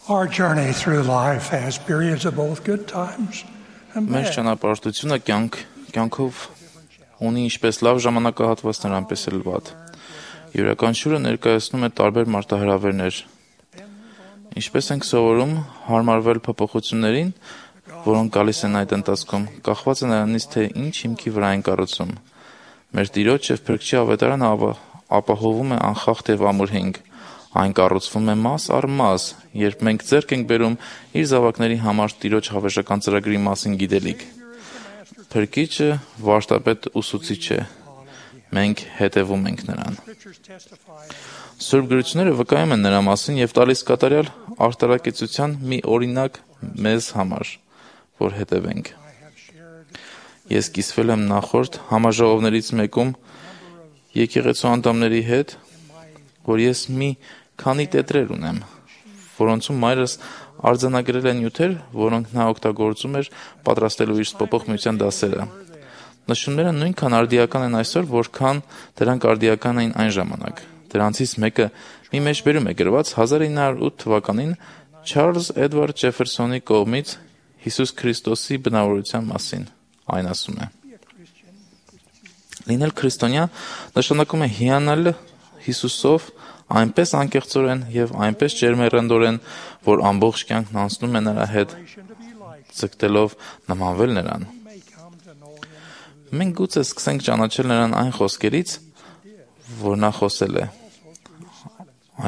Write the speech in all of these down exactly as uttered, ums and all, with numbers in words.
Our journey through life has periods of both good times and Մեր bad. ճանապարհորդությունը կյանք կյանքով ունի ինչպես լավ ժամանակահատվածներ, այնպես էլ վատ։ Յուրաքանչյուրը ներկայացնում է տարբեր մարտահրավերներ։ Ինչպես ենք սովորում հարմարվել փոփոխություններին, որոնք գալիս են այդ ընթացքում, կախված է նրանից, թե ինչ հիմքի վրա են կառուցում։ Մեր Տիրոջ եւ Փրկչի ավետարանը ապահովում է անխախտ եւ ամուր հիմք։ Այն կառուցվում է մաս առ մաս, երբ մենք ձեռք ենք բերում իր զավակների համար Տիրոջ հավերժական ծրագրի մասին գիտելիք։ Փրկիչը վարդապետ ուսուցիչ է։ Մենք հետևում ենք նրան։ Սուրբ գրությունները վկայում են նրա մասին եւ տալիս կատարյալ արտարակեցության մի օրինակ մեզ համար, որ հետևենք։ Ես կիսվել եմ նախորդ համաժողովներից մեկում եկեղեցու անդամների հետ, որ ես մի քանի տետրեր ունեմ, որոնցում մայրս արձանագրել է նյութեր, որոնք նա օգտագործում էր պատրաստելու իր սպոպող միության դասերը։ Նշումները նույնքան արդիական են այսօր, որքան դրանք արդիական էին այն ժամանակ։ Դրանցից մեկը մի մեջբերում է գրված հազար ինը հարյուր ութ թվականին Չարլզ Էդվարդ Ջեֆերսոնի կողմից Հիսուս Քրիստոսի բնավորության մասին։ Այն ասում է. Լինել քրիստոնյա նշանակում է հիանալ Հիսուսով այնպես անկեղծորեն եւ այնպես ջերմեռանդորեն, որ ամբողջ կյանքն անցնում է նրա հետ, ձգտելով նմանվել նրան։ Մենք գուցե սկսենք ճանաչել նրան այն խոսքերից, որ նա խոսել է,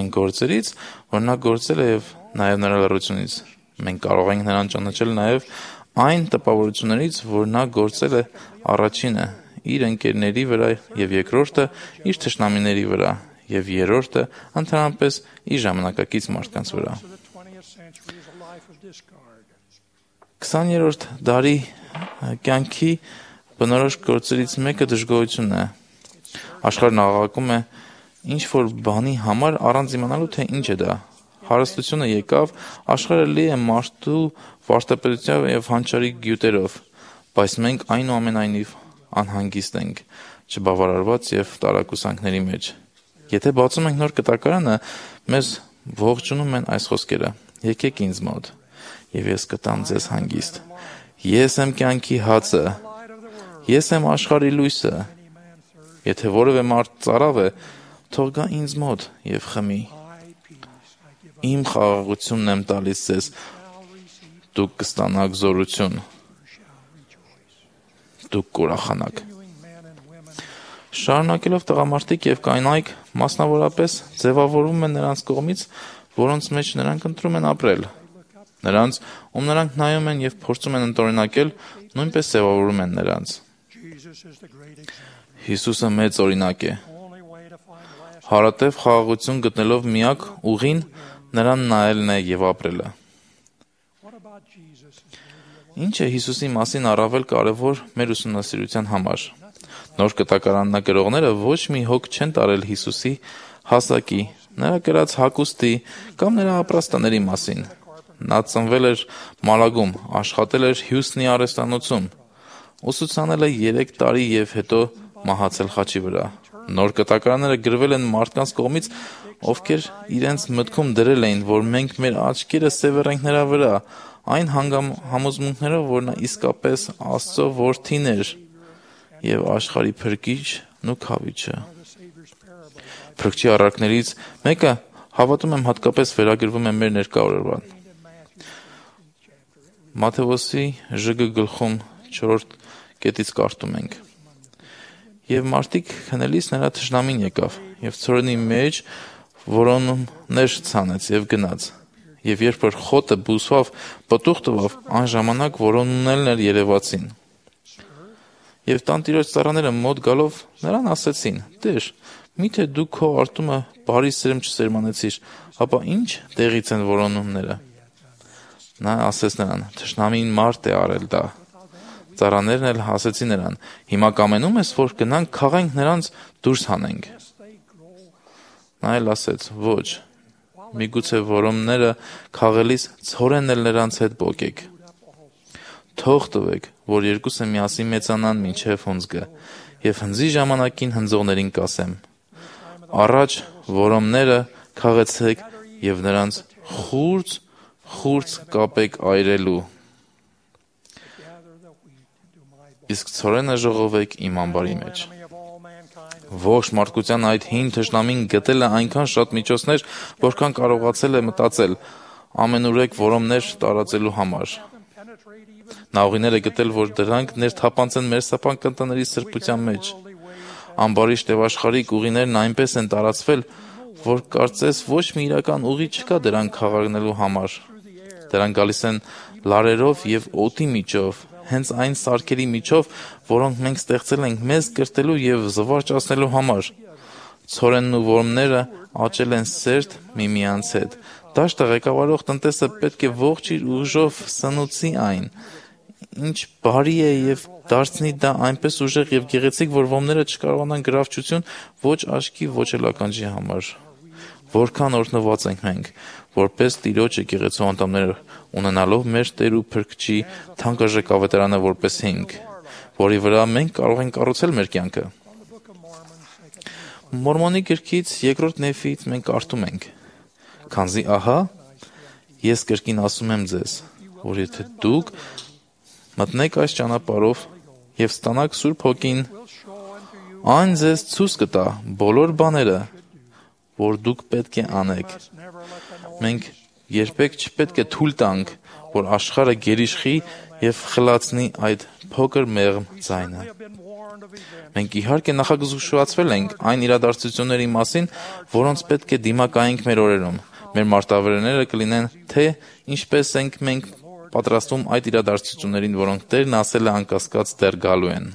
այն գործերից, որ նա գործել է եւ նաեւ նրա լռությունից։ Մենք կարող ենք նրան ճանաչել նաեւ այն տպավորություններից, որ նա գործել է առաջինը իր ընկերների վրա եւ երկրորդը իր թշնամիների վրա եւ երրորդը ընդհանրապես իր ժամանակակից մարդկանց վրա։ քսաներորդ դարի կյանքի բնորոշ գործերից մեկը դժգոհությունն է։ Աշխարհն աղաղակում է ինչ որ բանի համար առանց իմանալու թե ինչ է դա։ Հարստությունը եկավ, աշխարհը լի է մարդու վարդապետությամբ եւ հանճարի գյուտերով, բայց մենք այնուամենայնիվ անհանգիստ ենք, չբավարարված եւ տարակուսանքների մեջ։ Եթե բացում ենք նոր կտակարանը, մեզ ողջունում են այս խոսքերը. Եկեք ինձ մոտ, եւ ես կտամ ձեզ հանգիստ։ Ես եմ կյանքի հացը, ես եմ աշխարհի լույսը։ Եթե որևէ մարդ ծարավ է, թող գա ինձ մոտ եւ խմի։ Իմ խաղաղությունն եմ տալիս ձեզ, դուք կստանաք զորություն, դուք կուրախանաք։ Շարունակելով տղամարդիկ եւ կանայք մասնավորապես ձևավորվում են նրանց կողմից, որոնց մեջ նրանք ընտրում են ապրել։ Նրանց, ում նրանք նայում են եւ փորձում են ընտորինակել, նույնպես ձևավորում են նրանց։ Հիսուսը մեծ օրինակ է։ Հարատև խաղաղություն գտնելով միակ ուղին նրան նայելն է եւ ապրելը։ Ինչ է Հիսուսի մասին առավել կարևոր մեր ուսումնասիրության համար։ Նոր կտակարաննագրողները ոչ մի հոգ չեն տարել Հիսուսի հասակի, նրա կրած հագուստի կամ նրա ապրաստաների մասին։ Նա ծնվել էր Մալագում, աշխատել էր Հյուստնի արհեստանոցում, ուսուցանել է երեք տարի եւ հետո մահացել խաչի վրա։ Նոր կտակարանները գրվել են մարդկանց կողմից, ովքեր իրենց մտքում դրել էին, որ մենք մեր աչքերը սևեռենք նրա վրա, այն համոզմունքներով, որ նա իսկապես Աստծո որդին էր եւ աշխարհի փրկիչն ու քավիչը։ Փրկչի առակներից մեկը, հավատում եմ, հատկապես վերագրվում է մեր ներկա օրվան։ Մատթեոսի ժգ գլխում չորրորդ կետից կարդում ենք. Եվ մարդիկ քնելիս նրա թշնամին եկավ եւ ցորենի մեջ որոնումներ ցանեց եւ գնաց։ Եվ երբ որ խոտը բուսվավ, պտուղ տվավ, այն ժամանակ որոնումներն էլ երևացին։ Եվ տանտիրոջ ծառաները մոտ գալով նրան ասեցին. Տեր, միթե դու քո արտումը բարի սերմ չսերմանեցիր, ապա ինչ տեղից են որոնումները։ Նա ասեց նրան. Թշնամին մարդ է արել դա։ Ծառաներն էլ ասեցին նրան. Հիմա կամենում ես, որ գնանք քաղենք նրանց դուրս հանենք։ Նա էլ ասեց. Ոչ, միգուցե որոնումները քաղելիս ցորենն էլ նրանց հետ բոկեք։ Թող տվեք, որ երկուսը միասին մեծանան մինչև հունձգը, եւ հնձի ժամանակին հնձողներին կասեմ. առաջ որոմները քաղեցեք եւ նրանց խուրձ խուրձ կապեք այրելու, իսկ ցորենը ժողովեք իմ ամբարի մեջ։ Ողջ մարդկության այդ հին թշնամին գտել է այնքան շատ միջոցներ, որքան կարողացել է մտածել, ամենուրեք որոմներ տարածելու համար։ Նա ուղիներ է գտել, որ դրանք ներթափանցեն մեր սապանքընտների սրբության մեջ։ Ամբարիշտ եւ աշխարհիկ ուղիներն այնպես են տարածվել, որ կարծես ոչ մի իրական ուղի չկա դրանք խաղաղնելու համար։ Դրանք գալիս են լարերով եւ օդի միջով, հենց այն սարքերի միջով, որոնք մենք ստեղծել ենք մեզ կրտելու եւ զվարճացնելու համար։ Ցորենն ու որմները աճել են սերտ միմյանց հետ։ Դաշտը ղեկավարող տնտեսը պետք է ողջ իր ուժով սնուցի այն, ինչ բարի է եւ դարձնի դա այնպես ուժեղ եւ գեղեցիկ, որ ոմները չկարողանան գրավչություն ոչ աչքի, ոչ էլ ականջի համար։ Որքան օրհնված ենք մենք, որպես Տիրոջ եկեղեցու անդամներ, ունենալով մեր Տեր ու Փրկչի թանկարժեք ավետարանը որպես հիմք, որի վրա մենք կարող ենք կառուցել մեր կյանքը։ Մորմոնի գրքից երկրորդ Նեֆից մենք կարդում ենք. «Քանզի ահա, ես կրկին ասում եմ ձեզ, որ եթե դուք մտնեք այս ճանապարհով եւ ստանաք Սուրբ Հոգին, այն ձեզ ցույց կտա բոլոր բաները, որ դուք պետք է անեք։ Մենք երբեք չպետք է թույլ տանք, որ աշխարհը գերիշխի եւ խլացնի այդ փոքր մեղմ ձայնը։ Մենք իհարկե նախազգուշացվել ենք այն իրադարձությունների մասին, որոնց պետք է դիմակայենք մեր օրերում։ Մեր մարտավերները կլինեն, թե ինչպես ենք մենք պատրաստվում այդ իրադարձություններին, որոնք Տերն ասել է անկասկած դեռ գալու են։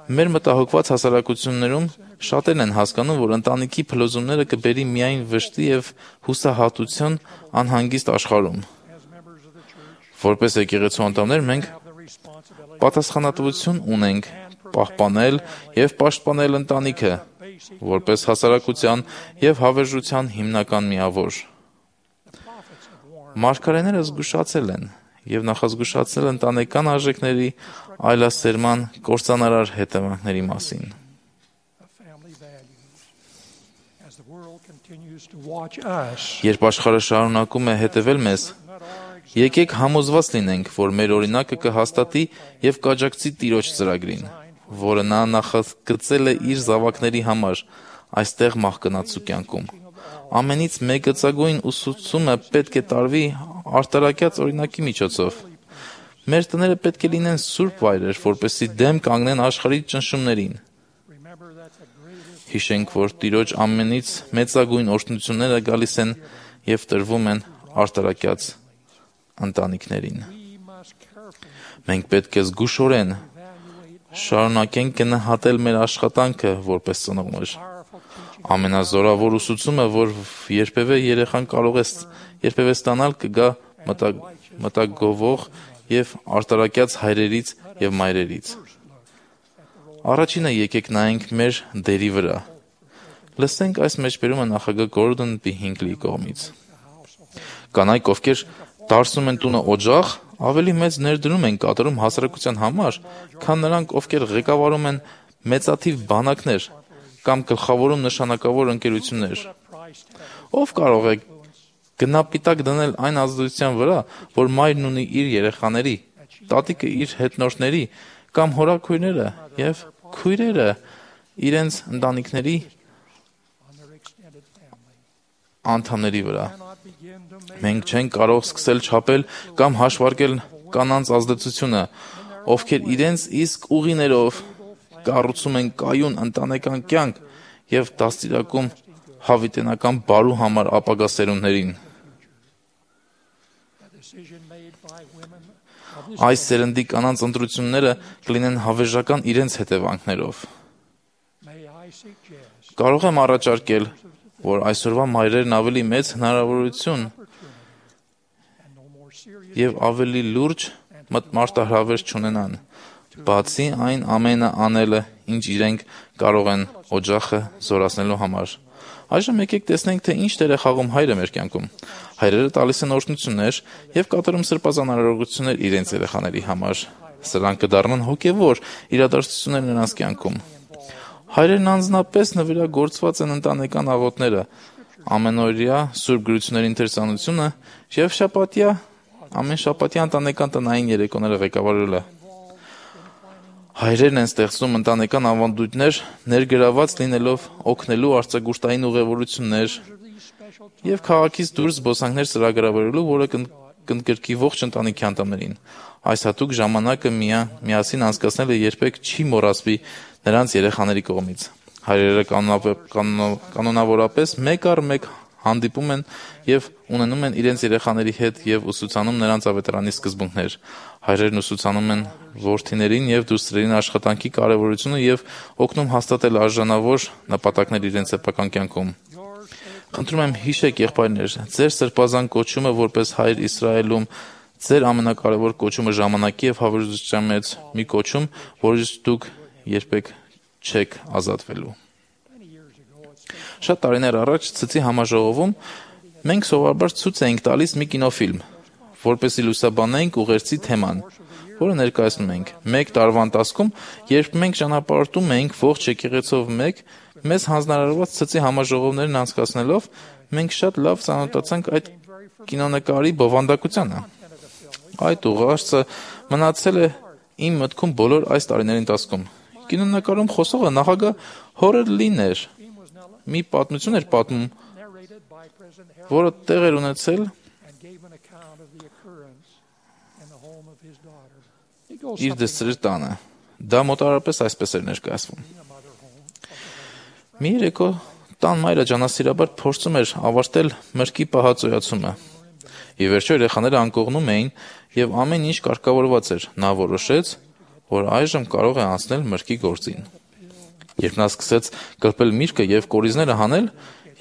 Մեր մտահոգված հասարակություններում շատերն են հասկանում, որ ընտանիքի փլուզումները կբերի միայն վշտի եւ հուսահատության անհանգիստ աշխարհում։ Որպես եկեղեցու անդամներ մենք պատասխանատվություն ունենք պահպանել եւ պաշտպանել ընտանիքը, որպես հասարակության եւ հավերժության հիմնական միավոր։ Մարգարեները զգուշացել են եւ նախազգուշացել ընտանեկան արժեքների այլասերման կործանարար հետևանքների մասին։ Երբ աշխարհը շարունակում է հետևել մեզ, եկեք համոզված լինենք, որ մեր օրինակը կհաստատի եւ կաջակցի Տիրոջ ծրագրին, որը նա նախագծել է իր զավակների համար այստեղ մահկանացու կյանքում։ Ամենից մեծագույն ուսուցումը պետք է տարվի արտարակյաց օրինակի միջոցով։ Մեր տները պետք է լինեն սուրբ վայրեր, որպեսզի դեմ կանգնեն աշխարհի ճնշումներին։ Հիշենք, որ Տիրոջ ամենից մեծագույն օրհնությունները գալիս են եւ տրվում են արտարակյաց ընտանիքներին։ Մենք պետք է զգուշորեն շարունակենք գնահատել մեր աշխատանքը որպես ծնողներ։ Ամենազորավոր ուսուցումը, որ երբևէ երեխան կարող է երբևէ ստանալ, կգա մտագովող եւ արտարակյաց հայրերից եւ մայրերից։ Առաջինը եկեք նայենք մեր դերի վրա։ Լսենք այս մեջբերումը նախագահ Գորդոն B. Հինգլիի կողմից։ Կանայք, ովքեր դարձնում են տունը օջախ, ավելի մեծ ներդրում են կատարում հասարակության համար, քան նրանք, ովքեր ղեկավարում են մեծաթիվ բանակներ կամ գլխավորում նշանակավոր ընկերություններ։ Ով կարող է գնապիտակ դնել այն ազդեցության վրա, որ մայրն ունի իր երեխաների, տատիկը իր հետնորդների կամ հորաքույրները եւ քույրերը իրենց ընտանիքների անդամների վրա։ Մենք չենք կարող սկսել չափել կամ հաշվարկել կանանց ազդեցությունը, ովքեր իրենց իսկ ուղիներով կառուցում են կայուն ընտանեկան կյանք եւ դաստիարակում հավիտենական բարու համար ապագա սերունդներին։ Այս սերնդի կանանց ընտրությունները կլինեն հավերժական իրենց հետևանքներով։ Կարող եմ առաջարկել, որ այսօրվա մայրերն ավելի մեծ հնարավորություն եւ ավելի լուրջ մարտահրավեր չունենան, բացի այն ամենը անելը, ինչ իրենք կարող են օջախը զորացնելու համար։ Այժմ եկեք տեսնենք, թե ինչ դեր է խաղում հայրը մեր կյանքում։ Հայրերը տալիս են օրհնություններ եւ կատարում սրբազան արարողություններ իրենց երեխաների համար։ Սրանք կդառնան հոգեվոր իրադարձություններ նրանց կյանքում։ Հայրերն անձնապես նվիրագործված են ընտանեկան աղոթները, ամենօրյա սուրբ գրությունների ընթերցանությունը եւ շաբաթյա ամեն շաբաթյա ընտանեկան տնային երեկոները ղեկավարելը։ Հայրերն են ստեղծում ընտանեկան ավանդույթներ, ներգրաված լինելով օգնելու արձակուրդային ուղևորություններ եւ քաղաքից դուրս զբոսանքներ ծրագրավորելու, որը կընդգրկի ողջ ընտանիքի անդամներին։ Այս հատուկ ժամանակը միասին անցկացնելը երբեք չի մոռացվի նրանց երեխաների կողմից։ Հայրերը կանոնավորապես մեկ առ մեկ հանդիպում են եւ ունենում են իրենց երեխաների հետ եւ ուսուցանում նրանց ավետարանի սկզբունքներ։ Հայրերն ուսուցանում են որդիներին եւ դուստրերին աշխատանքի կարեւորությունը եւ օգնում հաստատել արժանավոր նպատակներ իրենց սեփական կյանքում։ Խնդրում եմ, հիշեք, եղբայրներ, ձեր սրբազան կոչումը որպես հայր Իսրայելում, ձեր ամենակարևոր կոչումը ժամանակի եւ հավերժության մեջ մի կոչում, որից դուք երբեք չեք ազատվելու։ Շատ տարիներ առաջ ցցի համաժողովում մենք սովորաբար ցույց էինք տալիս մի կինոֆիլմ, որպեսզի լուսաբանենք ուղերձի թեման, որը ներկայացնում ենք։ Մեկ տարվա ընթացքում, երբ մենք ճանապարհորդում էինք ողջ եկեղեցով մեկ, մեզ հանձնարարված ցցի համաժողովներն անցկացնելով, մենք շատ լավ ծանոթացանք այդ կինոնկարի բովանդակությանը։ Այդ ուղերձը մնացել է իմ մտքում բոլոր այս տարիների ընթացքում։ Կինոնկարում խոսողը նախագահ Հորելին էր։ Մի պատմություն էր պատմում, որը տեղ էր ունեցել իր դստերի տանը։ Դա մոտավորապես այսպես էր ներկայացվում։ Մի երեկո տան մայրը ջանասիրաբար փորձում էր ավարտել մրգի պահածոյացումը։ Ի վերջո երեխաները անկողնում էին եւ ամեն ինչ կարգավորված էր։ Նա որոշեց, որ այժմ կարող է անցնել մրգի գործին։ Երբ նա սկսեց կրպել միրգը եւ կորիզները հանել,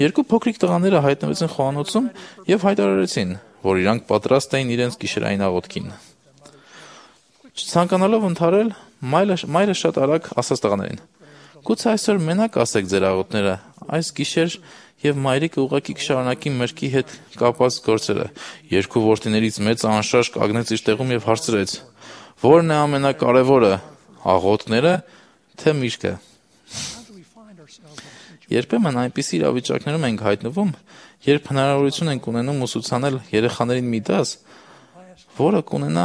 երկու փոքրիկ տղաները հայտնվեցին խոհանոցում եւ հայտարարեցին, որ իրանք պատրաստ էին իրենց գիշերային աղոթքին։ Ցանկանալով ընդհարել, մայրը, մայրը շատ արագ ասաց տղաներին. «Գուցե այսօր մենակ ասեք ձեր աղոթքները, այս գիշեր եւ մայրիկը ուղղակի կշարունակի մրգի հետ կապված գործերը»։ Երկու որդիներից մեծը անշարժ կանգնեց իր տեղում եւ հարցրեց. «Ո՞րն է ամենակարևորը, աղոթքները, թե միրգը»։ Երբեմն այնպիսի իրավիճակներում ենք հայտնվում, երբ հնարավորություն ենք ունենում ուսուցանել երեխաներին մի դաս, որը կունենա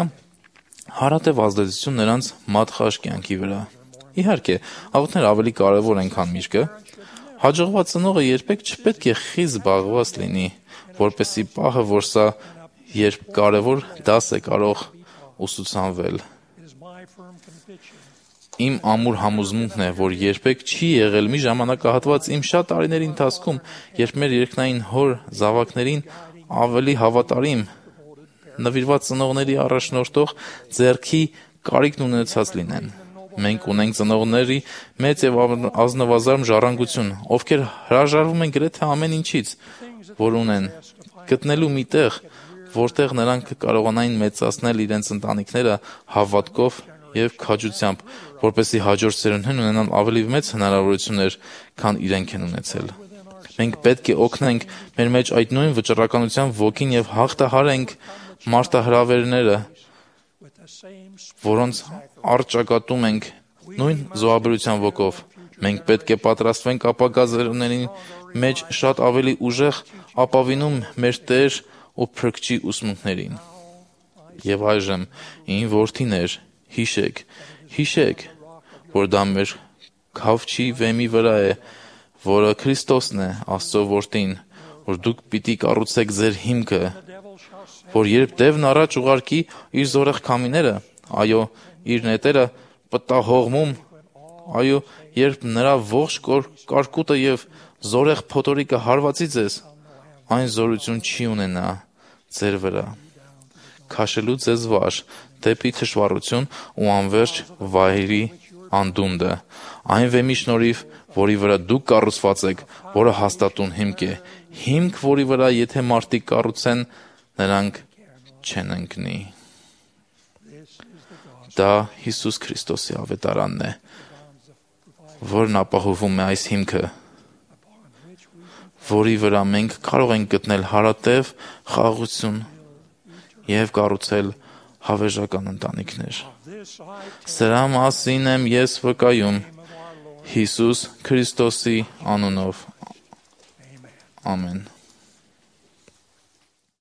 հարատև ազդեցություն նրանց մատխաշ կյանքի վրա։ Իհարկե, աղոթքները ավելի կարևոր են, քան միրգը։ Հաջողված ծնողը երբեք չպետք է խիստ զբաղված լինի, որպեսզի պահը, որ սա երբ կարևոր դաս է կարող ուսուցանվել։ Իմ ամուր համոզմունքն է, որ երբեք չի եղել մի ժամանակահատված իմ շատ տարիների ընթացքում, երբ մեր երկնային հոր զավակներին ավելի հավատարիմ, նվիրված ծնողների առաջնորդող ձեռքի կարիքն ունեցած լինեն։ Մենք ունենք ծնողների մեծ եւ ազնվազարմ ժառանգություն, ովքեր հրաժարվում են գրեթե ամեն ինչից, որ ունեն, գտնելու մի տեղ, որտեղ նրանք կարողանային մեծացնել իրենց ընտանիքները հավատքով եւ քաջությամբ, որպեսզի հաջորդ սերունդներն ունենան ավելի մեծ հնարավորություններ, քան իրենք են ունեցել։ Մենք պետք է օգնենք մեր մեջ այդ նույն վճռականության ոգին եւ հաղթահարենք մարտահրավերները, որոնց առճակատում ենք նույն զոհաբերության ոգով։ Մենք պետք է պատրաստվենք ապագա զերունդների մեջ շատ ավելի ուժեղ ապավինում մեր Տեր ու Փրկչի ուսմունքներին։ Եվ այժմ, իմ որդիներ, հիշեք, հիշեք, որ դա մեր քավչի վեմի վրա է, որը Քրիստոսն է, Աստծո որդին, որ դուք պիտի կառուցեք ձեր հիմքը, որ երբ դևն առաջ ուղարկի իր զորեղ քամիները, այո, իր նետերը պտահողմում, այո, երբ նրա ողջ կարկուտը եւ զորեղ փոթորիկը հարվածի ձեզ, այն զորություն չի ունենա ձեր վրա, քաշելու ձեզ վար դեպի թշվառություն ու անverջ վայրի անդունդը, այն վեմի շնորհիվ, որի վրա դուք կառուցված եք, որը հաստատուն հիմք է, հիմք, որի վրա եթե մարդիկ կառուցեն, նրանք չեն ընկնի։ Դա Հիսուս Քրիստոսի ավետարանն է, որն ապահովում է այս հիմքը, որի վրա մենք կարող ենք գտնել հարատև խաղաղություն եւ կառուցել հավերժական ընտանիքներ։ Սրա մասին եմ ես վկայում Հիսուս Քրիստոսի անունով։ Ամեն։